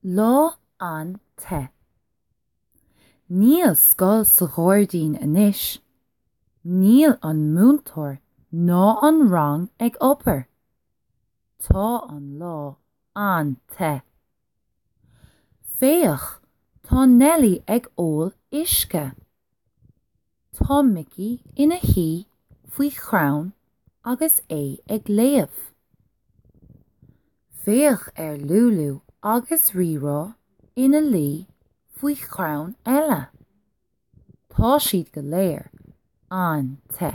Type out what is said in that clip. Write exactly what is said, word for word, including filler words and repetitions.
Lá an-te. Níl scoil sa ghairdín anois. Níl an múinteoir ná an rang ag obair. Tá an lá an-te. Féach, tá Nelly ag ól uisce. Tá Mickey ina shuí faoi chrann agus é ag léamh. Féach ar Lúlú agus Rírá ina luí faoi chrann eile. Tá siad go léir an-te.